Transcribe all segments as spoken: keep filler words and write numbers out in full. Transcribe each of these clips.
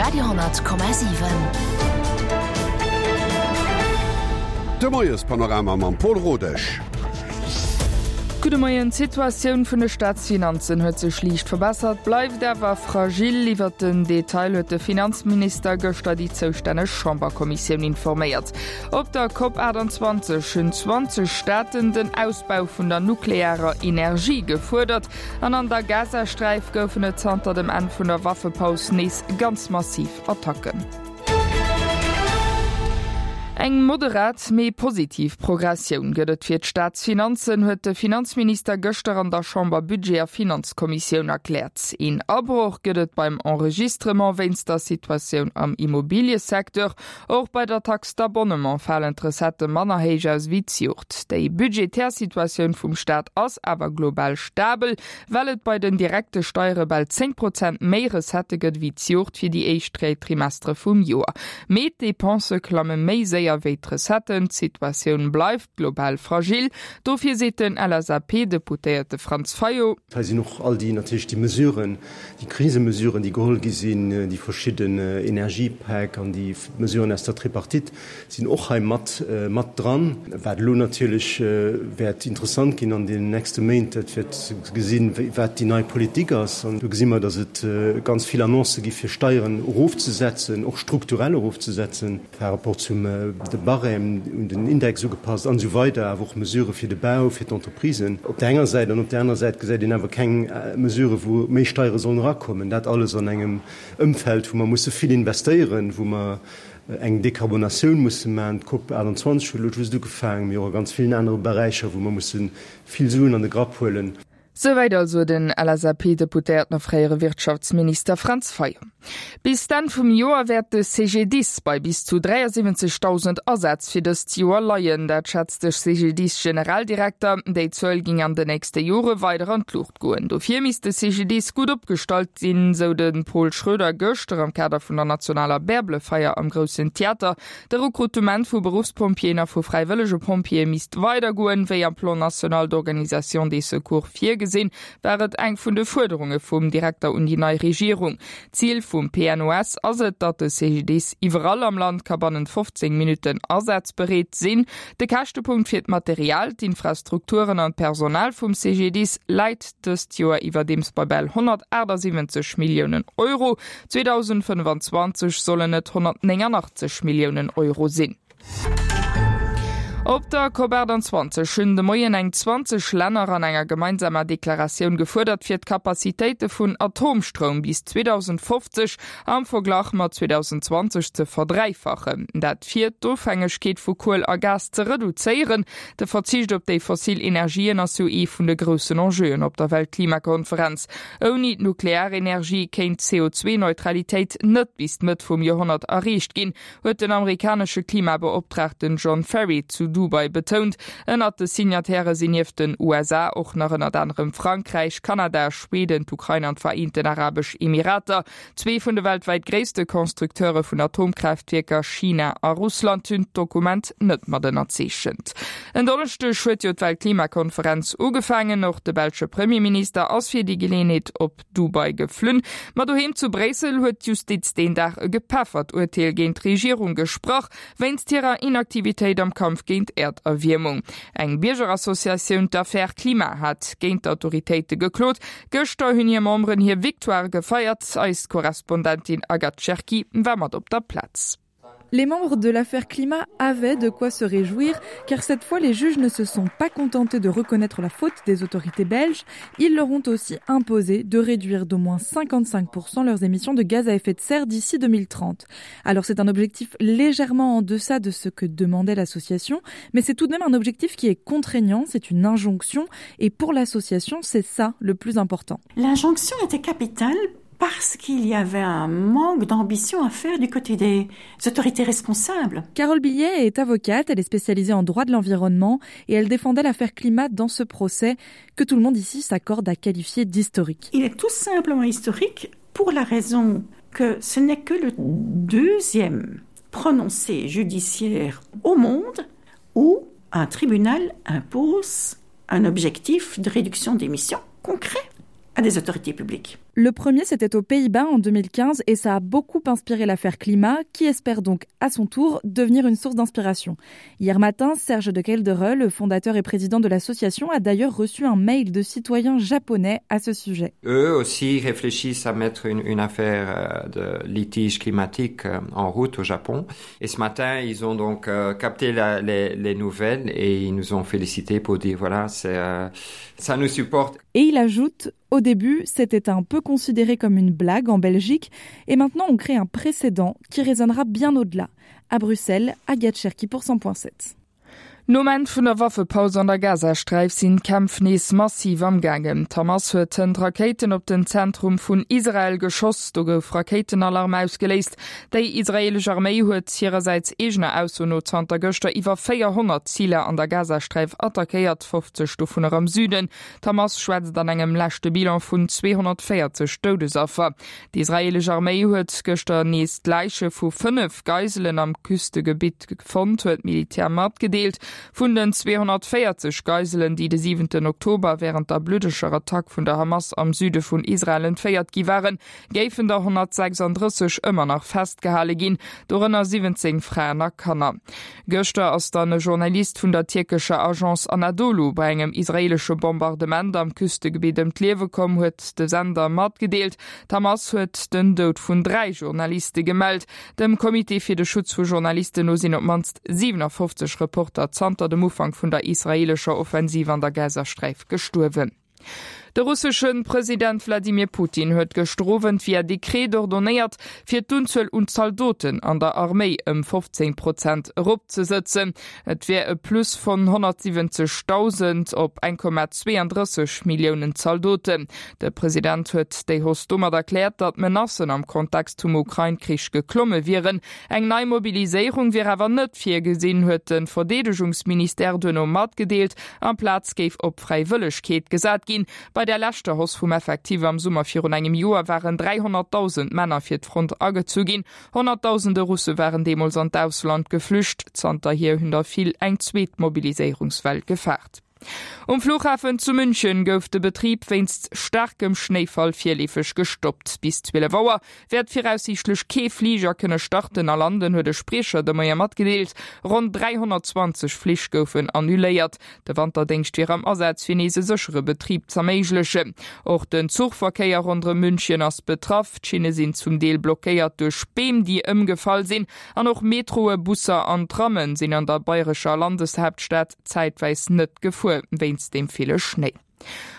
Radio honnert Komma siwen. De Moiespanorama mam Paul Rodesch. Gudde Moien, D'Situatioun vun de Staatsfinanzen huet sech liicht verbessert, bleift awer fragil. Iwwert den Detail huet de Finanzminister gëschter déi zoustänneg Chamberkommissioun informéiert. Op der Cop achtundzwanzeg hunn zwanzeg Staaten den Ausbau vun der nuklearer Energie gefuerdert an an der Gazasträif goufen et zanter dem Enn vun der Waffepaus nees ganz massiv Attacken. Eng moderat, mee positiv Progressioun gëtt et fir d'Staatsfinanzen, huet de Finanzminister gëschter an der Chamber Budget a Finanzkommissioun erkläert. Een Abroch gëtt et beim Enregistrement wéinst der Situatioun am Immobiliësecteur. Och bei der Taxe d'abonnement falen d'Recettë manner héich aus wéi d'Joert. Déi budgetär Situatioun vum Staat ass awer global stabel, well et bei den direkte Steiere bal zéng Prozent méi Recettë gëtt wéi d'Joert fir déi éischt dräi Trimestere vum Joer. Mee d'Depensë klamme méi séier wéi d'Recetten. D'Situatioun bleift global fragil. Dofir seet den L S A P-Deputéierte Franz Fayot. Hei sinn och all déi natierlech déi Mesuren, déi Krisemesuren, déi geholl gi sinn, déi verschidden Energiepäck an déi Mesuren aus der Tripartite sinn och hei mat mat dran. Wat elo natierlech wäert interessant ginn an deenen nächste Méint, dat wäert ze gesinn, wat déi nei Politik ass. An do gesi mer, datt et ganz vill Annoncë gi fir Steieren erofzesetzen, och strukturell erofzesetzen par rapport zum de Barème un den Index ugepasst an esou weider, awer och Mesurë fir de Bau, fir d'Entreprisen op där enger Säit, an op där aner Säit gesäit een awer keng Mesurë wou méi Steiere sollen erakommen. Dat alles an engem Ëmfeld, wou mer musse vill investéieren, wou mer eng Dekarbonatioun musse maachen, d'Cop achtundzwanzeg huet elo just ugefaangen, mee och a ganz villen anere Beräicher, wou mer musse vill Suen an de Grapp huelen. Souwäit also den L S A P-Deputéierten a fréiere Wirtschaftsminister Franz Fayot. Bis d'Enn vum Joer wäert de C G D I S bei bis zu dräiasiwwenzegdausend Asätz fir dëst Joer leien, dat schätzt de C G D I S-Generaldirekter. Déi Zuel géing an den nächste Jore weider an d'Luucht goen. Dofir misst de C G D I S gutt opgestallt sinn, sou de Paul Schroeder gëschter am Kader vun der nationaler Bärbelefeier am Groussen Theater. De Rekrutement vu Beruffspompjeeën a vu fräiwëllege Pompjeeë misst weidergoen, wéi am Plan national d'organisation des secours virgesinn, war et eng vun de Fuerderunge vum Direkter un déi nei Regierung. Zil vum P N O S ass et, datt de C G D I S iwwerall am Land ka bannent fofzéng Minutten asazbereet sinn. De Käschtepunkt fir d'Material, d'Infrastrukturen an d'Personal vum C G D I S läit dëst Joer iwwerdeems bei bal honnertaachtsiwwenzeg Milliounen Euro. zweedausendfënnfanzwanzeg sollen et honnertnénganachtzeg Milliounen Euro sinn. Op der Cop achtundzwanzeg hunn de Moien eng zwanzeg Länner an enger gemeinsamer Deklaratioun gefuerdert, fir d'Kapazitéite vun Atomstroum bis zweedausendfofzeg am Verglach mat zweedausendenzwanzeg ze verdräifachen. Dat fir d'Ofhängegkeet vu Kuel a Gas ze reduzéieren. De Verzicht op déi fossil Energien ass jo ee vun de groussen Enjeuen op der Weltklimakonferenz. Ouni d'Nuklearenergie kéint d'C O zwee Neutralitéit net bis d'Mëtt vum Joerhonnert erreecht ginn, huet den amerikanesche Klimabeoptraagten John Ferry zu Dubai betount. Ënnert de Signatairë sinn nieft den U S A och nach ënnert anerem Frankräich, Kanada, Schweden, d'Ukrain an d'Vereenten Arabesch Emirater. Zwee vun de weltwäit gréisste Constructeure vun Atomkraaftwierker, China a Russland, hunn d'Dokument net mat ënnerzeechent. En Donneschdeg huet jo d'Weltklimakonferenz ugefaangen. Och de belsche Premierminister ass fir déi Geleeënheet op Dubai geflunn. Ma doheem zu Bréissel huet d'Justiz deen Dag e gepeffert Urteel géint d'Regierung gesprach, wéinst hirer Inaktivitéit am Kampf géint d'Äerderwiermung. Eng Biergerassociatioun, d'Affaire Climat, hat géint d'Autoritéite geklot. Gëschter hunn hir Memberen hir Victoire gefeiert. Eis Korrespondentin Agathe Cherki war mat op der Plaz. Les membres de l'affaire Climat avaient de quoi se réjouir, car cette fois les juges ne se sont pas contentés de reconnaître la faute des autorités belges, ils leur ont aussi imposé de réduire d'au moins cinquante-cinq pour cent leurs émissions de gaz à effet de serre d'ici deux mille trente. Alors c'est un objectif légèrement en deçà de ce que demandait l'association, mais c'est tout de même un objectif qui est contraignant, c'est une injonction, et pour l'association, c'est ça le plus important. L'injonction était capitale parce qu'il y avait un manque d'ambition à faire du côté des autorités responsables. Carole Billiet est avocate, elle est spécialisée en droit de l'environnement et elle défendait l'affaire Climat dans ce procès que tout le monde ici s'accorde à qualifier d'historique. Il est tout simplement historique pour la raison que ce n'est que le deuxième prononcé judiciaire au monde où un tribunal impose un objectif de réduction d'émissions concret à des autorités publiques. Le premier, c'était aux Pays-Bas en deux mille quinze et ça a beaucoup inspiré l'affaire Climat, qui espère donc à son tour devenir une source d'inspiration. Hier matin, Serge de Keldere, le fondateur et président de l'association, a d'ailleurs reçu un mail de citoyens japonais à ce sujet. Eux aussi réfléchissent à mettre une, une affaire de litige climatique en route au Japon. Et ce matin, ils ont donc capté la, les, les nouvelles et ils nous ont félicités pour dire voilà, c'est, euh, ça nous supporte. Et il ajoute, au début, c'était un peu considéré comme une blague en Belgique et maintenant on crée un précédent qui résonnera bien au-delà. À Bruxelles, Agathe Cherki pour cent point sept. Nom Enn vun der Waffepaus an der Gazasträif sinn d'Kämpf nees massiv am Gaangen. D'Hamas huet hënt Rakéiten op den Zentrum vun Israel geschoss, do gouf Rakéitenalarm ausgeléist. Déi israelesch Arméi huet hirersäits eegener Ausso no zanter gëschter iwwer véierhonnert Ziler an der Gazasträif attackéiert, fofzeg dovunner am Süden. D'Hamas schwätzt an engem leschte Bilan vun zweehonnertvéierzeg Doudesaffer. D'israelesch Arméi huet gëschter nees d'Läiche vu fënnef Geiselen am Küstegebitt fonnt, huet d'Militär matgedeelt. Vun den zweehonnertvéierzeg Geiselen, déi de siwenten Oktober während der bluddeger Attack vun der Hamas am Süde vun Israel entféiert gi waren, géifen der honnertsechsunddrësseg ëmmer nach festgehale ginn, dorënner siwwenzéng Fraen a Kanner. Gëschter ass dann e Journalist vun der tierkescher Agence Anadolu bei engem israelesche Bombardement am Küstegebiet ëm d'Liewe komm, huet de Sender matgedeelt. D'Hamas huet den Doud vun dräi Journaliste gemellt. Dem Comité fir de Schutz vu Journalisten no sinn op d'mannst siewenundfofzeg Reporter zanter dem Ufank vun der israelescher Offensiv an der Gazasträif gestuerwen. De russeschen President Wladimir Putin huet gëschter Owend via Dekret ordonnéiert, fir d'Unzuel un Zaldoten an der Arméi ëm fofzéng Prozent eropzesëtzen. Et wär e Plus vun honnertsiwwenzegdausend op eng Komma zweeëndrësseg Milliounen Zaldoten. De President huet déi Hausse domat erkläert, datt d'Menacen am Kontext vum Ukrain-Krich geklomme wieren. Eng nei Mobiliséierung wier awer net virgesinn, huet de Verdeedegungsministère duerno matgedeelt. Amplaz géif op Fräiwëllegkeet gesat ginn. Bei der leschter Hausse vum Effektiv am Summer virun engem Joer waren dräihonnertdausend Männer fir d'Front agezu ginn. Honnertdausende Russe waren deemools an d'Ausland geflücht. Zanterhier hunn der vill eng zweet Mobiliséierungswell gefaart. Um Flughafen zu München gouf de Betrib wéinst staarkem Schnéifall virleefeg gestoppt. Bis zwielef Auer wäert viraussiichtlech kee Fliger kënne starten a landen, huet de Spriecher de Moie matgedeelt. Ronn dräihonnertzwanzeg Flich goufen annuléiert. De Wanterdéngscht wier am Asaz fir nees e séchere Betrib z'erméiglechen. Och den Zuchverkéier ronderëm München ass betraff. D'Schinne sinn zum Deel blockéiert duerch Beem, déi ëmgefall sinn. An och Metroe, Busser an Trammen sinn an der bayrescher Landeshauptstadt zäitweis net gefuer, wéinst dem ville Schnéi.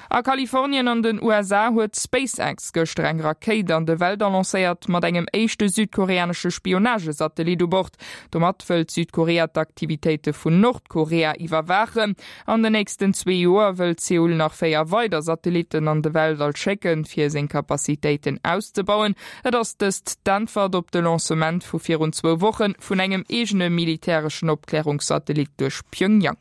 A Kalifornien an den U S A huet SpaceX gëschter eng Rakéit an de Weltall lancéiert mat engem éischte südkoreanesche Spionagesatellit u Bord. Domat wëllt Südkorea d'Aktivitéite vun Nordkorea iwwerwaachen. An den nächsten zwee Joer wëllt Seoul nach véier weider Satellitten an de Weltall schécken, fir seng Kapazitéiten auszebauen. Et ass dëst d'Äntwert op de Lancement vu virun zwou Wochen vun engem eegene militäreschen Opklärungssatellit duerch Pyongyang.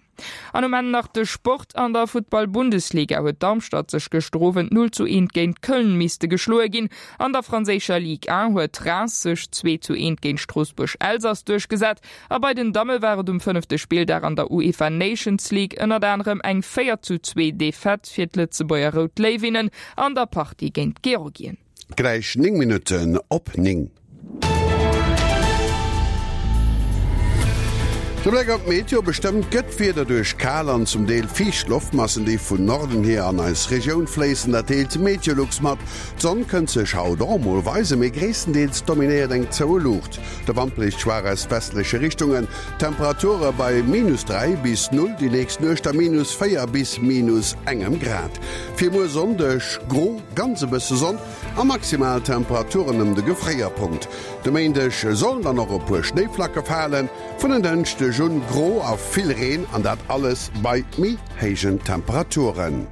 An um Ende nach de Sport an der Futtball-Bundesliga huet Darmstadt sech gëschter Owend null zu eent géint Köln misste geschloe ginn. An der franséischer Ligue un huet Reims sech zwee zu eent géint Stroossbuerg-Elsass duerchgesat. A bei den Damme war et um fënnefte Spilldag an der UEFA Nations League ënnert anerem eng véier zu zwee Defaite fir d'Lëtzebuerger Rout Léiwinnen an der Partie géint Georgien. Gläich néng Minutten op néng. De Bléck op d'Meteo bestëmmt gëtt wieder duerch kal an zum Deel fiicht Loftmassen, déi vun Norden hier an eis Regioun fléissen, dat deelt Meteolux mat. D'Sonn kënnt sech haut och mol weisen, mee gréisstendeels dominéiert eng zoue Luucht. De Wand bléist schwaach aus westleche Richtungen. Temperature bei minus dräi bis null, déi nächst Nuecht a minus véier bis minus engem Grad. Fir muer Sonndeg gro, ganz e bësse Sonn a maximal Temperaturen ëm de Gefréierpunkt. De Méindeg sollen dann och e puer Schnéiflacke falen, vun en Dënschdeg un gro a vill Reen an dat alles bei méi héijen Temperaturen.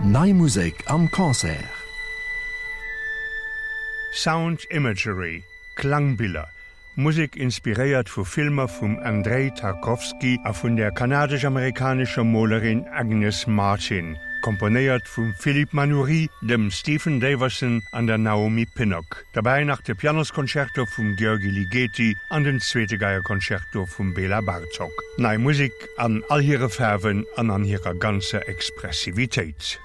Nei Musek am Concert. Sound Imagery, Klangbiller, Musek inspiréiert vu Filmer vum Andrei Tarkovsky a vun der kanadesch-amerikanescher Molerin Agnes Martin, komponéiert vum Philippe Manoury, dem Stephen Daverson an der Naomi Pinnock. Dabei nach de Pianosconcerto vum György Ligeti an den zweete Geierconcerto vum Bela Bartok. Nei Musik an all hire Farwen an an hirer ganzer Expressivitéit.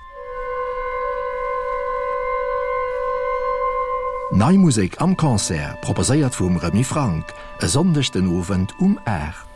Nei Musek am Concert proposéiert vum Remy Franck, e Sonndeg den Owend um aacht.